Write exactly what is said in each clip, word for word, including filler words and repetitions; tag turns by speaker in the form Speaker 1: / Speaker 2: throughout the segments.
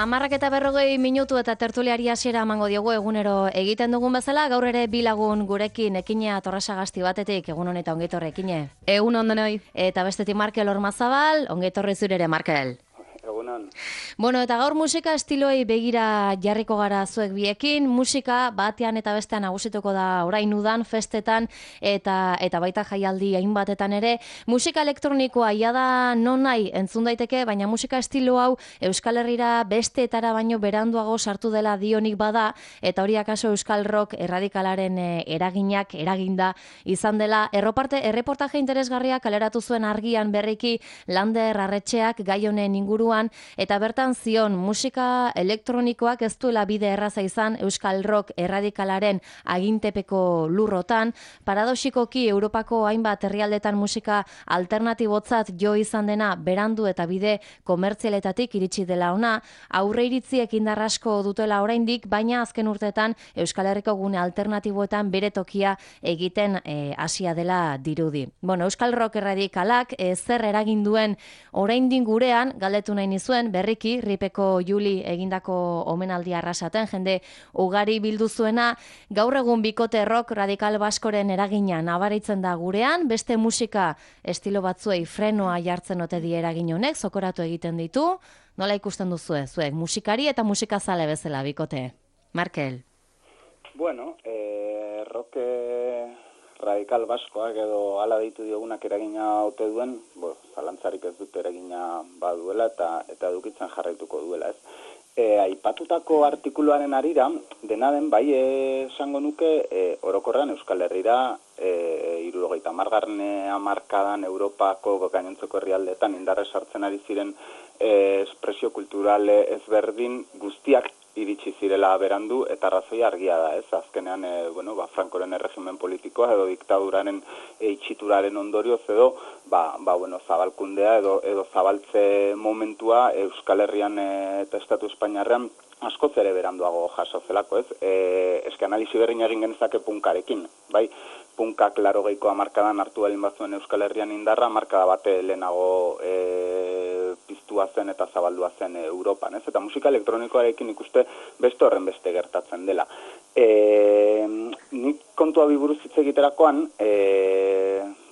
Speaker 1: Hamarrak eta berrogei minutu eta tertuliari hasiera emango diogu egunero egiten dugun bezala, gaur ere bi lagun gurekin Ekina Torresagasti batetik, egun honetan ongetorri Ekine.
Speaker 2: Egun ondenoi.
Speaker 1: Eta bestetik Markel Ormazabal, ongetorri zure ere Markel.
Speaker 3: Egunon.
Speaker 1: Bueno, eta gaur musika estiloi begira jarriko gara zuek biekin, musika batean eta bestean nagusituko da orain udan, festetan eta eta baita jaialdi hainbatetan ere. Musika elektronikoa ia da non nahi entzun daiteke, baina musika estilo hau Euskal Herrira besteetara baino beranduago sartu dela dionik bada, eta hori akaso Euskal Rock erradikalaren eraginak eraginda izan dela. Erroparte, erreportaje interesgarria kaleratu zuen argian berriki Lander Arretxeak gai honen inguru eta bertan zion musika elektronikoak ez duela bide erraza izan Euskal Rock erradikalaren agintepeko lurrotan. Paradoxikoki Europako hainbat herrialdetan musika alternatibotzat jo izan dena berandu eta bide komertzialetatik iritsi dela ona, aurre iritziek indar asko dutela oraindik, baina azken urteetan Euskal Herriko gune alternatiboetan bere tokia egiten hasia dela dirudi. Bueno, Euskal Rock erradikalak e, zer eragin duen oraindik gurean galdetu nahi nizuen, berriki, Ripeko Juli egindako omenaldi arrasaten, jende ugari bildu zuena, gaur egun bikote rock radikal baskoren eragina nabaritzen da gurean, beste musika estilo batzuei frenoa jartzen ote die eragin honek, zokoratu egiten ditu, nola ikusten duzue, zuek, musikari eta musikazale bezala bikote. Markel.
Speaker 3: Bueno, eh, rock radikal baskoak edo hala deitu diogunak eragina ote duen, bo, zalantzarik ez dut eragina baduela eta eta edukitzen jarraituko duela, ez. E, aipatutako artikuluaren arira, dena den bai esango nuke e, orokorrean Euskal Herrira e, hirurogeita hamargarren hamarkadan Europako gainontzeko herrialdeetan indarre sartzen ari ziren e, espresio kultural ezberdin guztiak iritsi zirela berandu eta arrazoi argia da, ez? Azkenean, e, bueno, ba, Frankoren erregimen politikoa edo diktaduraren e, itxituraren ondorioz edo, ba, ba, bueno, zabalkundea edo, edo zabaltze momentua Euskal Herrian e, eta Estatu Espainiarrean askoz ere beranduago jaso zelako, ez? E, eske analisi berrin egin genezake punkarekin, bai? Punkak larogeiko hamarkadan hartu balin bazuen Euskal Herrian indarra, hamarkada bate lehenago e, piztua zen eta zabaldua zen Europan, ez? Eta musika elektronikoarekin ikuste beste horren beste gertatzen dela. E, nik kontua biburuz hitz egiterakoan, e,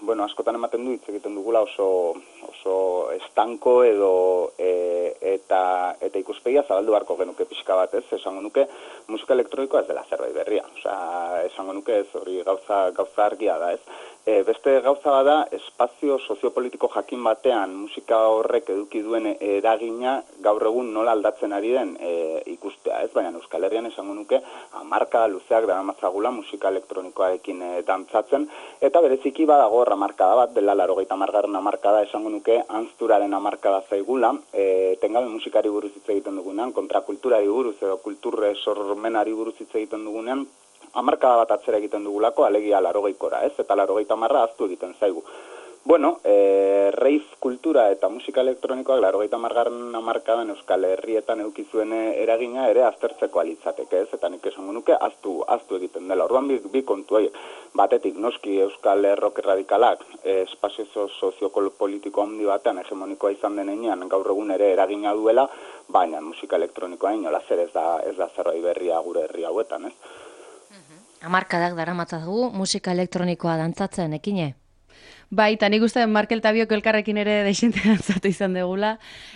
Speaker 3: bueno, askotan ematen du hitz egiten dugula oso, oso estanko edo e, eta, eta ikuspegia zabaldu beharko genuke pixka bat, ez? Esango nuke musika elektronikoa ez dela zerbait berria. Osea, esango nuke ez hori gauza, gauza argia da, ez? E, beste gauza bada, espazio soziopolitiko jakin batean musika horrek eduki duen eragina gaur egun nola aldatzen ari den e, ikustea, ez? Baina Euskal Herrian esango nuke hamarkada luzeak daramatzagula musika elektronikoarekin e, dantzatzen, eta bereziki badago hamarkada bat, dela laurogeita hamargarren hamarkada esango nuke anzturaren hamarkada zaigula, e, tengabe musikari buruz hitz egiten dugunean, kontrakulturari buruz edo kulturre sormenari buruz hitz egiten dugunean, hamarkada bat atzera egiten dugulako, alegia laurogeikora, ez? Eta laurogeita hamarra ahaztu egiten zaigu. Bueno, e, rave kultura eta musika elektronikoak laurogeita hamargarren hamarkadan Euskal Herrietan eduki zuen eragina ere aztertzeko alitzateke, ez? Eta nik esango nuke ahaztu ahaztu egiten dela. Orduan bi, bi kontu horiek. Batetik noski Euskal Rock erradikalak e, espazio soziopolitiko handi batean hegemonikoa izan denean gaur egun ere eragina duela, baina musika elektronikoa inola zer ez da ez da zerbait berria gure herri hauetan, ez?
Speaker 1: Hamarkadak daramatzagu musika elektronikoa dantzatzen, Ekine?
Speaker 2: Bai, eta nik uste Markel eta biok elkarrekin ere desinte dantzatu izan degula.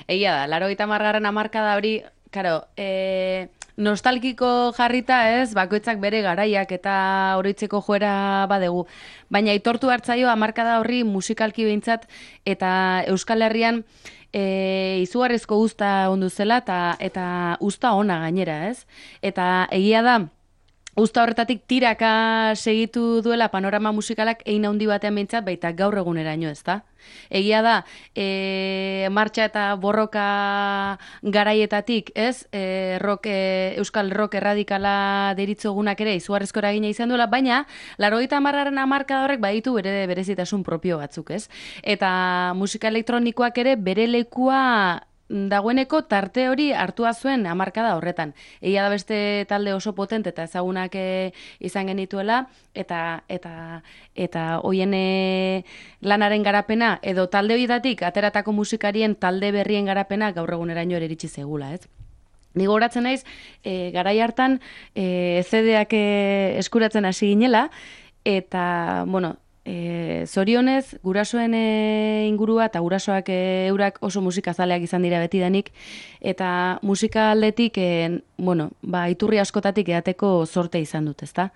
Speaker 2: Egia da, laurogeita hamargarren hamarkada hori, karo, e, nostalgiko jarrita ez, bakoitzak bere garaiak eta oroitzeko joera badegu. Baina aitortu hartzaio hamarkada horri musikalki behintzat eta Euskal Herrian e, izugarrizko uzta ondu zela eta, eta uzta ona gainera, ez? Eta egia da, uzta horretatik tiraka segitu duela panorama musikalak ein handi batean behintzat, baita gaur eguneraino, ezta? Egia da, e, martxa eta borroka garaietatik, ez? E, rock, e, Euskal Rock erradikala deritzogunak ere izugarrizko eragina izan duela, baina laurogeita hamargarren hamarkada horrek baditu bere berezitasun propio batzuk, ez? Eta musika elektronikoak ere bere lekua dagoeneko tarte hori hartua zuen hamarkada horretan. Egia da beste talde oso potente eta ezagunak e, izan genituela, eta eta eta hoien e, lanaren garapena, edo talde horietatik ateratako musikarien talde berrien garapena gaur eguneraino ere iritsi zegula, ez? Ni gogoratzen naiz, e, garai hartan e, C D-ak e, eskuratzen hasi ginela, eta, bueno, e, zorionez, gurasoen e, ingurua eta gurasoak e, eurak oso musikazaleak izan dira betidanik, eta musika aldetik, e, bueno, ba, iturri askotatik edateko sorte izan dut, ezta?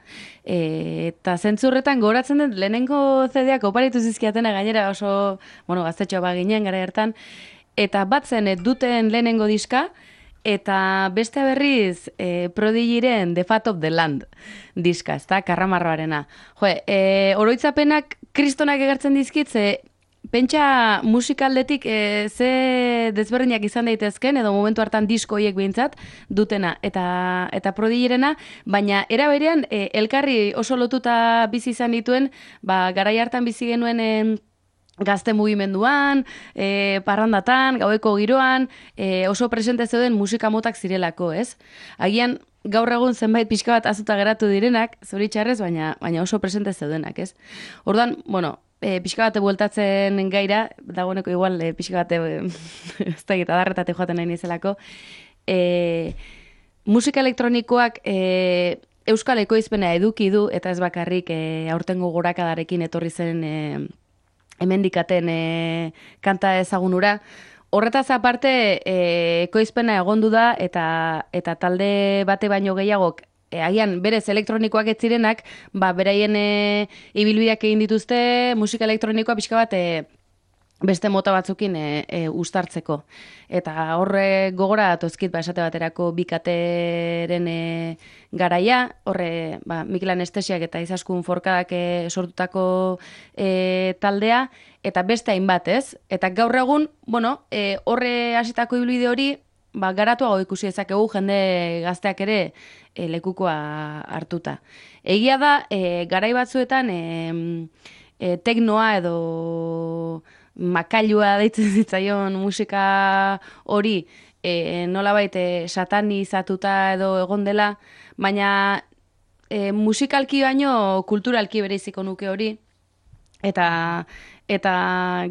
Speaker 2: E, eta zentzurretan gogoratzen dut, lehenengo C D-ak oparitu zizkiatena gainera oso, bueno, gaztetxoa baginen garai hartan, eta batzen e, duten lehenengo diska, eta beste berriz e, Prodigyren The Fat of the Land diska, ezta, karramarroarena. Jo, e, oroitzapenak kristonak egertzen dizkit, ze pentsa musikaldetik e, ze desberdinak izan daitezken, edo momentu hartan disko horiek behintzat dutena, eta, eta Prodigyrena, baina era berean e, elkarri oso lotuta bizi izan dituen, ba, garai hartan bizi genuen e, gazte mugimenduan, e, parrandatan, gaueko giroan, e, oso presente zeuden musika motak zirelako, ez? Agian gaur egun zenbait pixka bat azuta geratu direnak, zoritxarrez, baina, baina oso presente zeudenak, ez? Orduan, bueno, e, pixka bate bueltatzen gaira, dagoeneko igual e, pixka bate, ez da egita darretate joaten nahi nizelako, e, musika elektronikoak e, euskal ekoizpena eduki du, eta ez bakarrik e, aurtengo gorakadarekin etorri zen e, hemendikaten e, kanta ezagunura. Horretaz aparte, e, ekoizpena egondu da, eta, eta talde bate baino gehiagok, e, agian berez elektronikoak ez zirenak, ba, beraien e, ibilbideak egin dituzte, musika elektronikoa pixka bat, e, beste mota batzukin e, e, ustartzeko. Eta horre gogora datozkit, ba, esate baterako bikateren e, garaia, horre ba, Mikel Anestesiak eta Izaskun Forkadak e, sortutako e, taldea, eta beste hainbat, ez? Eta gaur egun, bueno, e, horre hasitako ibilbide hori, ba, garatuago ikusi ezakegu jende gazteak ere e, lekukoa hartuta. Egia da, e, garai batzuetan e, e, teknoa edo makailua deitzen zitzaion musika hori e, nolabait e, satanizatuta edo egon dela, baina e, musikalki baino kulturalki bereiziko nuke hori, eta eta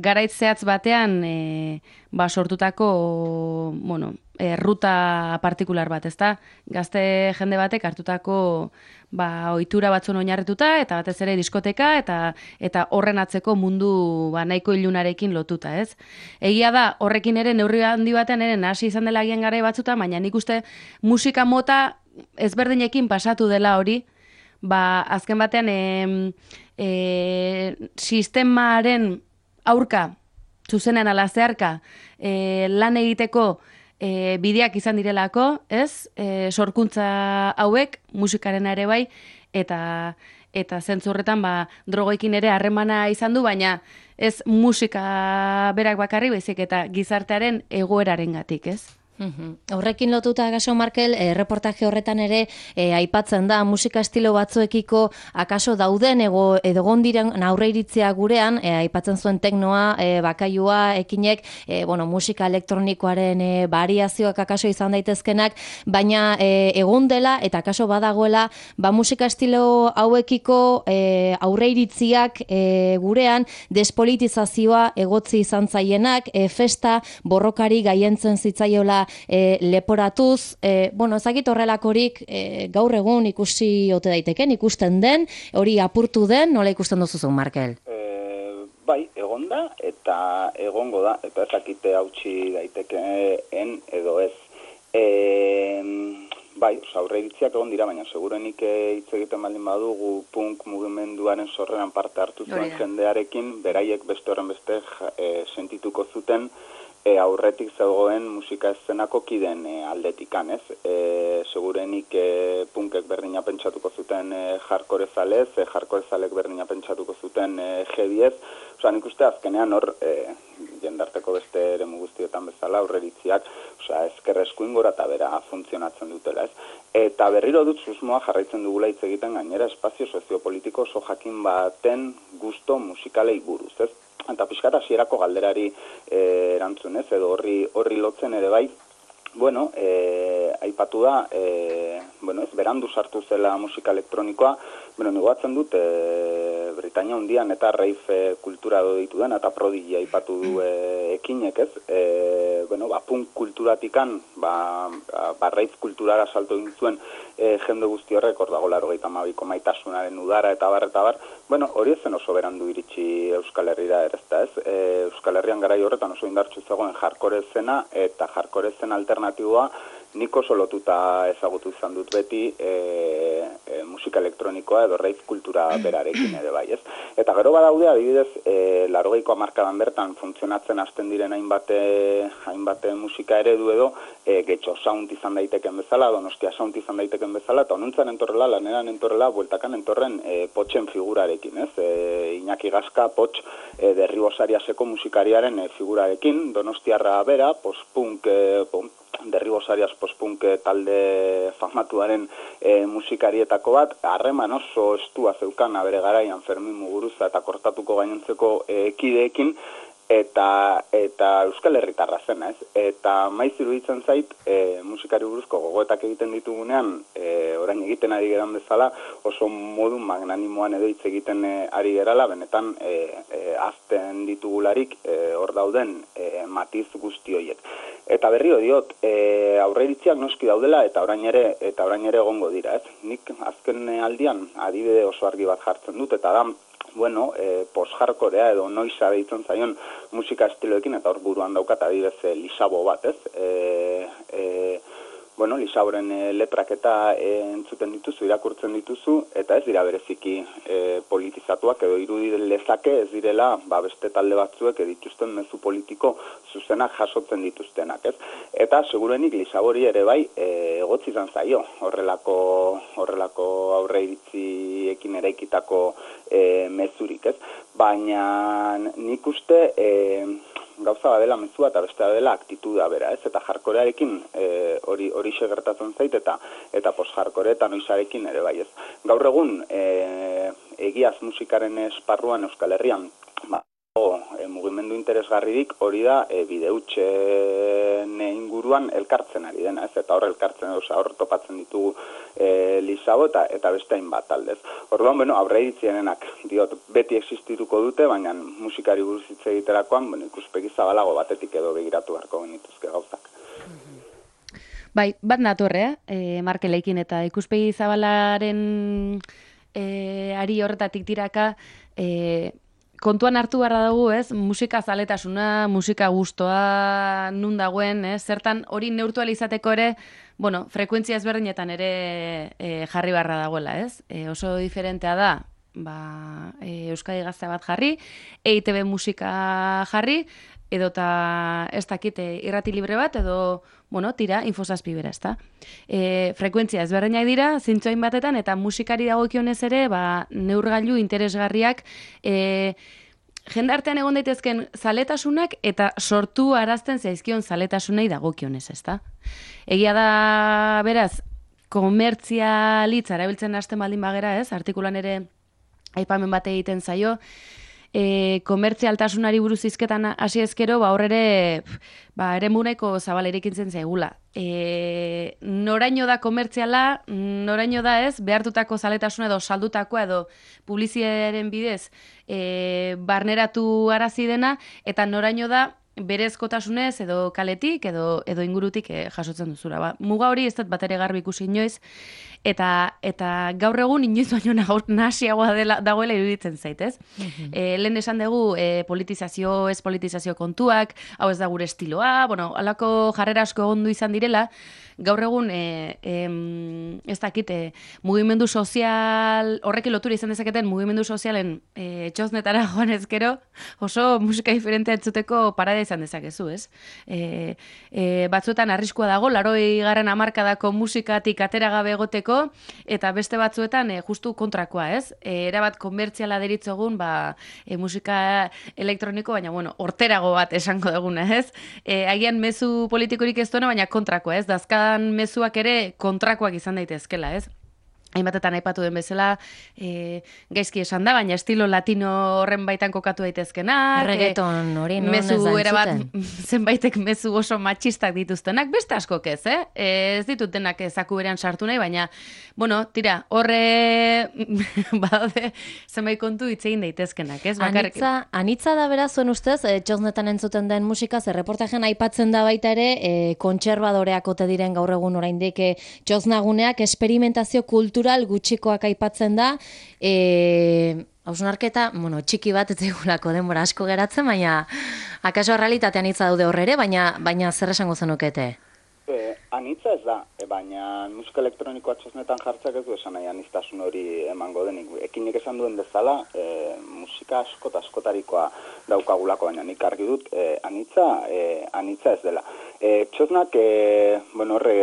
Speaker 2: garait zehatz batean e, ba, sortutako bueno, e, ruta partikular bat, ezta? Gazte jende batek hartutako ba, ohitura batzun oinarrituta, eta batez ere diskoteka, eta eta horren atzeko mundu ba, nahiko ilunarekin lotuta, ez? Egia da, horrekin ere neurri handi batean ere nahasi izan dela agian garai batzuta, baina nik uste musika mota ezberdinekin pasatu dela hori, ba, azken batean e, e, sistemaren aurka, zuzenean ala zeharka, e, lan egiteko E, bideak izan direlako, ez? E, sorkuntza hauek, musikarena ere bai, eta eta zentzu horretan ba, drogoekin ere harremana izan du, baina ez musika berak bakarri baizik eta gizartearen egoerarengatik, ez?
Speaker 1: Uhum. Horrekin lotuta Gaso Markel, e, reportaje horretan ere e, aipatzen da musika estilo batzuekiko akaso dauden ego edo gondiren aurreiritzia gurean, e, aipatzen zuen teknoa, e, bakaiua, ekinek, e, bueno, musika elektronikoaren e, variazioak akaso izan daitezkenak, baina e, egon dela eta akaso badagoela, ba musika estilo hauekiko e, aurreiritziak e, gurean despolitizazioa egotzi izan zaienak, e, festa borrokari gaientzen zitzaiola E, leporatuz, e, bueno, ezagit horrelakorik e, gaur egun ikusi ote daiteken, ikusten den, hori apurtu den, nola ikusten duzuzun, Markel?
Speaker 3: E, bai, egon da, eta egongo da, eta ezakite hautsi daitekeen edo ez. E, bai, aurreiritziak egon dira, baina segurenik hitz egiten baldin badugu punk mugimenduaren sorreran parte hartu zuen jendearekin, beraiek beste horren beste e, sentituko zuten, E, aurretik zegoen musika eszenako kiden e, aldetikan, ez? E, segurenik e, punkek berdina pentsatuko zuten e, hardcore zalez, e, hardcore zalek berdina pentsatuko zuten e, heavyez. Osa, nik uste azkenean hor, e, jendarteko beste eremu guztietan bezala, aurreritziak, osa, ezker eskuin gora eta bera funtzionatzen dutela, ez? Eta berriro dut susmoa jarraitzen dugula hitz egiten gainera espazio soziopolitiko oso jakin baten gusto musikalei buruz, ez? Eta pixkat hasierako galderari e, erantzunez, edo horri, horri lotzen ere bai, bueno, e, aipatu da, e, bueno, ez, berandu sartu zela musika elektronikoa, bueno, nigoatzen dut, e, Britania hundian eta rave kultura do ditu den, eta Prodigy aipatu du e, ekinek, ez, e, bueno, ba, punk kulturatikan, ba, ba, rave kulturara salto egin zuen e, jende guzti horrek, hor dago laurogeita hamabiko maitasunaren udara eta bar, eta bar, bueno, hori ezen oso berandu iritsi Euskal Herrira erezta, ez, e, Euskal Herrian garai horretan oso indartsu zegoen hardcore zena, eta hardcore zen alternatiboa nik oso lotuta ezagutu izan dut beti e, e, musika elektronikoa edo rave kultura berarekin ere bai, ez? Eta gero badaude, adibidez, e, laurogeiko hamarkadan bertan funtzionatzen hasten diren hainbate, hainbate musika eredu edo, e, getxo sound izan daiteken bezala, Donostia sound izan daiteken bezala, eta honuntzan entorrela, laneran entorrela, bueltakan entorren e, potxen figurarekin, ez? E, Iñaki Gaska, potx, e, derribosariaseko musikariaren e, figurarekin, Donostiarra bera, post-punk, e, derribosarias post-punk talde famatuaren e, musikarietako bat, harreman oso estua zeukana bere garaian Fermin Muguruza eta kortatuko gainontzeko e, kideekin, eta eta Euskal Herritarra zena, ez? Eta maiz iruditzen zait, e, musikari buruzko gogoetak egiten ditugunean, e, orain egiten ari geran bezala, oso modu magnanimoan edo hitz egiten e, ari gerala, benetan e, e, azten ditugularik e, hor dauden e, matiz guzti horiek. Eta berrio diot, e, aurreiritziak noski daudela eta orain ere eta orain ere egongo dira, ez? Nik azken aldian adibide oso argi bat jartzen dut, eta da, bueno, e, post-hardcorea edo noiza deitzen zaion musika estiloekin, eta hor buruan daukat adibidez e, Lisabo bat, ez? E, e, bueno, Lisaboren e, letrak eta e, entzuten dituzu, irakurtzen dituzu, eta ez dira bereziki e, politizatuak edo irudi lezake ez direla ba, beste talde batzuek dituzten mezu politiko zuzenak jasotzen dituztenak, ez? Eta segurenik Lisabori ere bai e, egotzi izan zaio horrelako, horrelako aurreiritziekin eraikitako e, mezurik, ez? Baina nik uste e, gauza badela mezua eta beste dela aktituda bera, ez? Eta jarkorearekin hori hori gertatzen zait eta eta post-hardcore eta noizarekin ere bai, ez? Gaur egun e, egiaz musikaren esparruan Euskal Herrian, ba, e, mugimendu interesgarririk hori da e, bideutxen inguruan elkartzen ari dena, ez? Eta hor elkartzen, oza, hor topatzen ditugu e, Lisabo eta, eta beste hainbat aldez. Orduan, bueno, aurreiritzenenak diot beti existituko dute, baina musikari buruz hitz egiterakoan, bueno, ikuspegi zabalago batetik edo begiratu beharko genituzke gauzak.
Speaker 2: Bai, bat natorrea, e, Markeleikin eta ikuspegi zabalaren e, ari horretatik tiraka, e, kontuan hartu beharra dugu, ez? Musika zaletasuna, musika gustoa, nun dagoen, ez? Zertan hori neurtu ahal izateko ere, bueno, frekuentzia ezberdinetan ere e, jarri beharra dagoela, ez? E, oso diferentea da, ba, e, Euskadi Gaztea bat jarri, E I Te Be musika jarri, edota ez dakit irrati libre bat, edo, bueno, tira, infosazpi bera, ez da. E, frekuentzia ezberdinak dira, zintzoain batetan, eta musikari dagokionez ere, ba, neurgailu interesgarriak, e, jendartean egon daitezken zaletasunak, eta sortu arazten zaizkion zaletasunei dagokionez, ez da. Egia da, beraz, komertzialitza erabiltzen hasten baldin bagera, ez, artikulan ere aipamen bate egiten zaio, E, komertzialtasunari buruz hizketan hasi ezkero, ba horre ba, ere muneko zabalerik zen zaigula. E, noraino da komertziala, noraino da ez, behartutako zaletasuna edo saldutakoa edo publiziaren bidez e, barneratu arazi dena, eta noraino da berezkotasunez edo kaletik edo edo ingurutik e, jasotzen duzura. Ba, muga hori ez dut bat ere garbi ikusi inoiz, eta eta gaur egun inoiz baino nahasiagoa dela dagoela iruditzen zait, ez? Mm-hmm. E, lehen esan dugu e, politizazio, ez politizazio kontuak, hau ez da gure estiloa, bueno, halako jarrera asko egondu izan direla, gaur egun e, e, ez dakit, e, mugimendu sozial, horrekin lotura izan dezaketen mugimendu sozialen e, txosnetara joan ezkero, oso musika diferentea entzuteko parada izan dezakezu, ez? E, e, batzuetan arriskua dago, laroi garren hamarkadako musikatik atera gabe egoteko, eta beste batzuetan e, justu kontrakoa, ez? E, erabat komertziala deritzogun, ba, e, musika elektroniko, baina, bueno, horterago bat esango duguna, ez? E, agian mezu politikorik ez duena, baina kontrakoa, ez? Dazkan mezuak ere kontrakoak izan daitezkela, ez? hainbatetan aipatu den bezala, e, gaizki esan da, baina estilo latino horren baitan kokatu daitezkenak.
Speaker 1: Reggaeton hori, no?
Speaker 2: Mezu erabat, zenbaitek mezu oso matxistak dituztenak, beste askok ez, eh? Ez ditutenak ezaku berean sartu nahi, baina, bueno, tira, horre, badaude, zenbait kontu hitz egin daitezkenak, ez? Bakarrik.
Speaker 1: Anitza, anitza da beraz, zuen ustez, e, txosnetan entzuten den musika, zer reportajen aipatzen da baita ere, e, kontserbadoreak ote diren gaur egun oraindik e, txosnaguneak, esperimentazio kultura gutxikoak aipatzen da, e, hausnarketa, bueno, txiki bat ez egulako denbora asko geratzen, baina akaso realitatean hitza daude horrere, baina, baina zer esango zenukete?
Speaker 3: E, anitza ez da, e, baina musika elektronikoa txosnetan jartzak ez du esan nahi aniztasun hori emango denik. Ekinik esan duen bezala, e, musika askot askotarikoa daukagulako, baina nik argi dut, e, anitza, e, anitza ez dela. E, txosnak, e, bueno, horre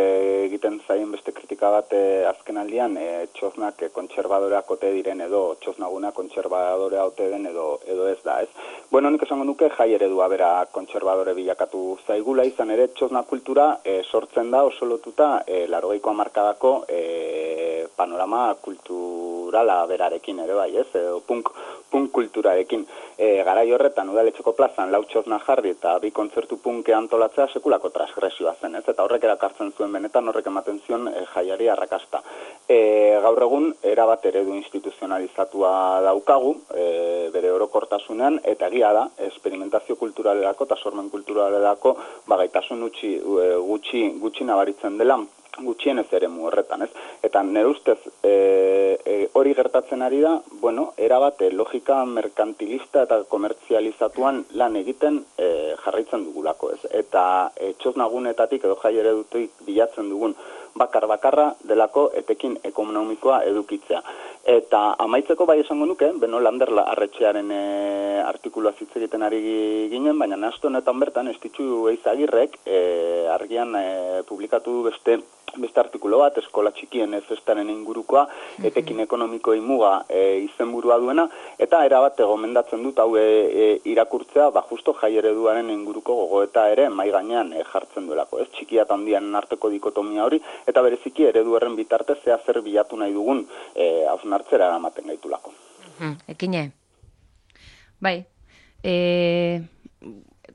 Speaker 3: egiten zaien beste kritika bat e, azken aldian, e, txosnak e, kontserbadoreak ote diren edo txosnaguna kontserbadorea ote den edo, edo ez da, ez? Bueno, nik esango nuke jai eredua bera kontserbadore bilakatu zaigula, izan ere txosna kultura e, sortzen da oso lotuta e, laurogeiko hamarkadako e, panorama kulturala berarekin ere bai, ez? Edo punk, punk kulturarekin. E, garai horretan udaletxeko plazan lau txosna jarri eta bi kontzertu punke antolatzea sekulako transgresioa zen, ez? Eta horrek erakartzen zuen benetan, horrek ematen zion e, jaiari arrakasta. E, gaur egun erabat eredu instituzionalizatua daukagu, e, bere orokortasunean, eta egia da, esperimentazio kulturalerako eta sormen kulturalerako bagaitasun gutxi, gutxi, gutxi nabaritzen dela, gutxienez ere mu horretan, ez? Eta nire ustez e, e, hori gertatzen ari da, bueno, erabat e, logika merkantilista eta komertzializatuan lan egiten e, jarraitzen dugulako, ez? Eta e, txosnagunetatik edo jai eredutik bilatzen dugun bakar-bakarra delako etekin ekonomikoa edukitzea. Eta amaitzeko bai esango nuke, Beno Lander arretxearen e, artikulua hitz egiten ari ginen, baina nahastu honetan bertan Estitxu Eizagirrek e, argian e, publikatu du beste beste artikulo bat, eskola txikien festaren ingurukoa, etekin ekonomikoi muga e, izenburua duena, eta erabat gomendatzen dut hau e, e, irakurtzea, ba justo jai ereduaren inguruko gogoeta ere mai gainean e, jartzen duelako, ez? Txikia eta handian arteko dikotomia hori, eta bereziki eredu horren bitartez zea zer bilatu nahi dugun e, hausnartzera eramaten gaitulako.
Speaker 1: Ekine.
Speaker 2: Bai, e...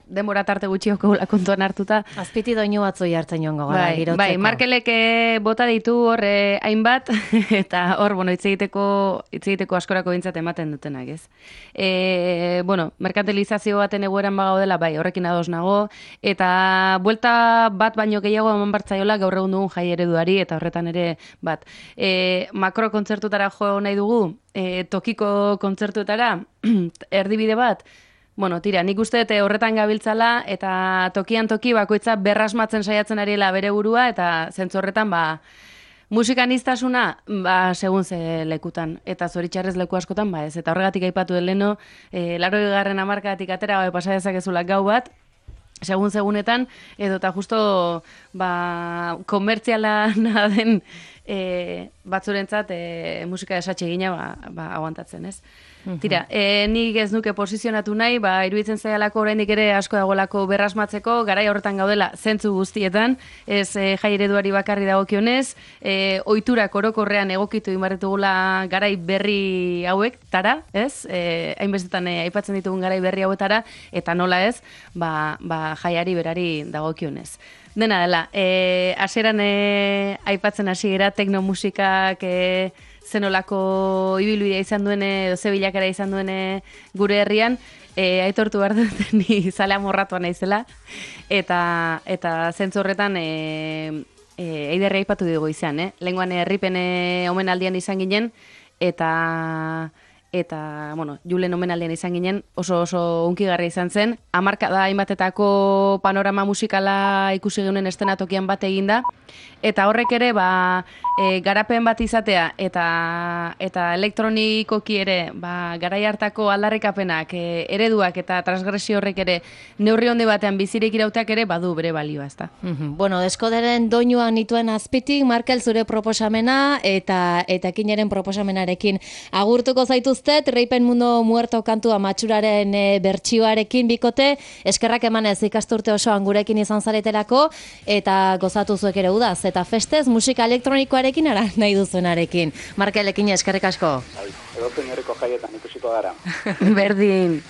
Speaker 2: denbora tarte gutxioko kontuan hartuta.
Speaker 1: Azpiti doinu batzoi hartzen joango gara,
Speaker 2: bai,
Speaker 1: girotzeko.
Speaker 2: Bai, Markelek bota ditu hor eh, hainbat, eta hor, bueno, hitz egiteko, hitz egiteko askorako bintzat ematen dutenak, ez? E, bueno, merkantilizazio baten egoeran bagaudela, bai, horrekin ados nago, eta buelta bat baino gehiago eman bartzaiola gaur egun dugun jai ereduari, eta horretan ere, bat, e, makro kontzertutara jo nahi dugu, e, tokiko kontzertuetara, erdibide bat, bueno, tira, nik uste dute horretan gabiltzala eta tokian toki bakoitza berrasmatzen saiatzen ariela bere burua eta zentzu horretan, ba, musikaniztasuna, ba, segun ze lekutan. Eta zoritxarrez leku askotan, ba ez. Eta horregatik aipatu den leno, e, laro garren hamarkadatik atera, ba, pasa dezakezula gau bat, segun segunetan, edo eta justo, ba, komertziala den e, batzurentzat e, musika esatxe gina, ba, ba, aguantatzen, ez? Tira, e, nik ez nuke posizionatu nahi, ba, iruditzen zaialako oraindik ere asko dagoelako berrasmatzeko, garai horretan gaudela zentzu guztietan, ez e, jai ereduari bakarri dagokionez, e, ohiturak orokorrean egokitu inbarretugula garai berri hauek, tara, ez? E, hainbestetan e, aipatzen ditugun garai berri hauetara, eta nola ez, ba, ba, jaiari berari dagokionez. Dena dela, e, hasieran e, aipatzen hasi gara teknomusikak e, zenolako ibilbidea izan duene, edo ze bilakera izan duene gure herrian, e, aitortu behar dut ni zalea morratua naizela, eta, eta zentzu horretan e, e, eiderri aipatu dugu izan, eh? Lehengoan herripen omenaldian izan ginen, eta... eta, bueno, Julen omenaldian izan ginen, oso oso unkigarria izan zen, hamarkada hainbatetako panorama musikala ikusi geunen estenatokian bat eginda, eta horrek ere, ba, e, garapen bat izatea, eta eta elektronikoki ere, ba, garai hartako aldarrikapenak, e, ereduak eta transgresio horrek ere, neurri handi batean bizirik irauteak ere, badu bere balioa, ezta.
Speaker 1: Mm-hmm. Bueno, deskoderen doinua nituen azpitik, Markel zure proposamena, eta eta kineren proposamenarekin agurtuko zaitu zaituztet, Reipen Mundo Muerto kantua matxuraren e, bertsioarekin bikote, eskerrak emanez ikasturte osoan gurekin izan zaretelako, eta gozatu zuek ere udaz, eta festez musika elektronikoarekin ara nahi duzuenarekin. Markelekin eskerrik asko.
Speaker 3: Edo zein jaietan ikusiko gara.
Speaker 2: Berdin.